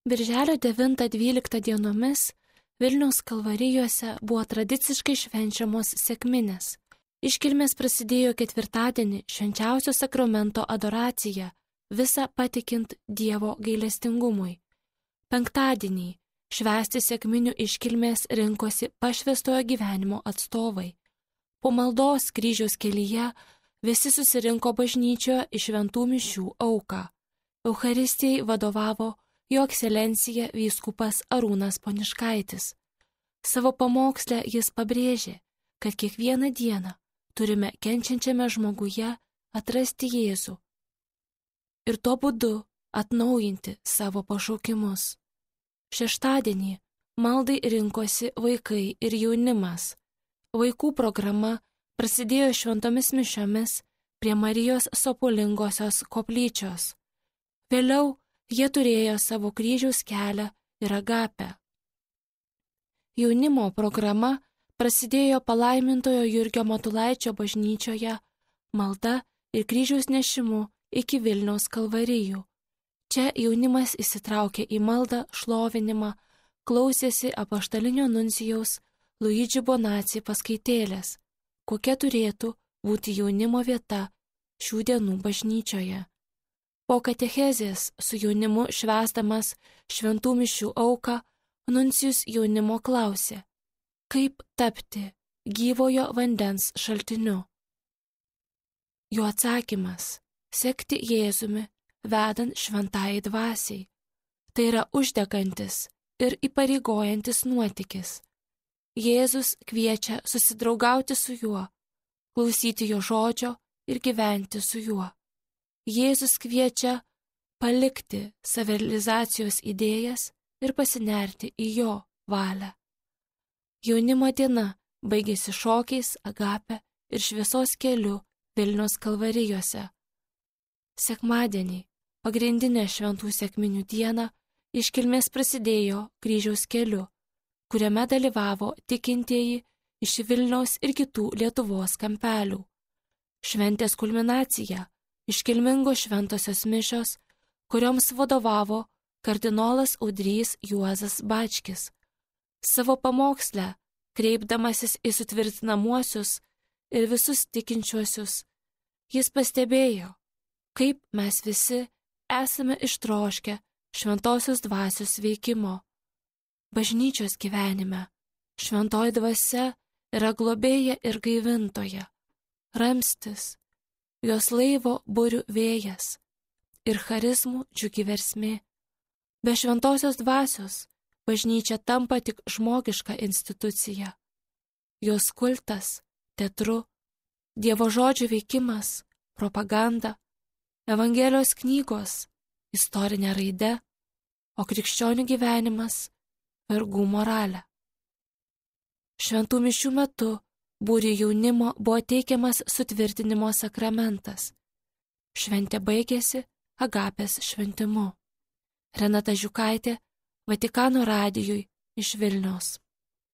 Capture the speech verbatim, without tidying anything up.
Birželio devintą dvyliktą dienomis Vilniaus kalvarijose buvo tradiciškai švenčiamos sekminės. Iškilmės prasidėjo ketvirtadienį švenčiausio sakramento adoracija, visą patikint Dievo gailestingumui. Penktadienį švęsti sekminių iškilmės rinkosi pašvęstojo gyvenimo atstovai. Po maldos kryžiaus kelyje visi susirinko bažnyčioje į šventų mišių auką. Eucharistijai vadovavo Jo ekscelencija vyskupas Arūnas Poniškaitis. Savo pamoksle jis pabrėžė, kad kiekvieną dieną turime kenčiančiame žmoguje atrasti Jėzų ir tuo būdu atnaujinti savo pašaukimus. Šeštadienį maldai rinkosi vaikai ir jaunimas. Vaikų programa prasidėjo šventomis mišiomis prie Marijos Sopulingosios koplyčios. Vėliau jie turėjo savo kryžiaus kelią ir agapę. Jaunimo programa prasidėjo palaimintojo Jurgio Matulaičio bažnyčioje malda ir kryžiaus nešimu iki Vilniaus kalvarijų. Čia jaunimas įsitraukė į maldą, šlovinimą, klausėsi apaštalinio nuncijaus Luigi Bonacci paskaitėlės, kokia turėtų būti jaunimo vieta šių dienų bažnyčioje. Po katechezės su jaunimu švęsdamas šventų mišių auką, nuncijus jaunimo klausė, kaip tapti gyvojo vandens šaltiniu. Jo atsakymas – sekti Jėzumi, vedant šventai dvasiai. Tai yra uždegantis ir įpareigojantis nuotykis. Jėzus kviečia susidraugauti su juo, klausyti jo žodžio ir gyventi su juo. Jėzus kviečia palikti savirealizacijos idėjas ir pasinerti į jo valią. Jaunimo diena baigėsi šokiais, agape ir šviesos keliu Vilniaus kalvarijose. Sekmadienį, pagrindinę šventų sekminių dieną, iškilmės prasidėjo kryžiaus keliu, kuriame dalyvavo tikintieji iš Vilniaus ir kitų Lietuvos kampelių. Šventės kulminacija – iškilmingos šventosios mišios, kurioms vadovavo kardinolas Audrys Juozas Bačkis. Savo pamoksle, kreipdamasis į sutvirtinamuosius ir visus tikinčiuosius, jis pastebėjo, kaip mes visi esame ištroškę šventosios dvasios veikimo. Bažnyčios gyvenime šventoji dvasia yra globėja ir gaivintoja, ramstis, jos laivo burių vėjas ir charizmų džiugi versmė. Be šventosios dvasios bažnyčia tampa tik žmogiška institucija. Jos kultas, teatru, Dievo žodžio veikimas, propaganda, Evangelijos knygos, istorinė raide, o krikščionių gyvenimas – vergų moralė. Šventų mišių metu būrių jaunimo buvo teikiamas sutvirtinimo sakramentas. Šventė baigėsi agapės šventimu. Renata Žiukaitė, Vatikano radijui iš Vilniaus.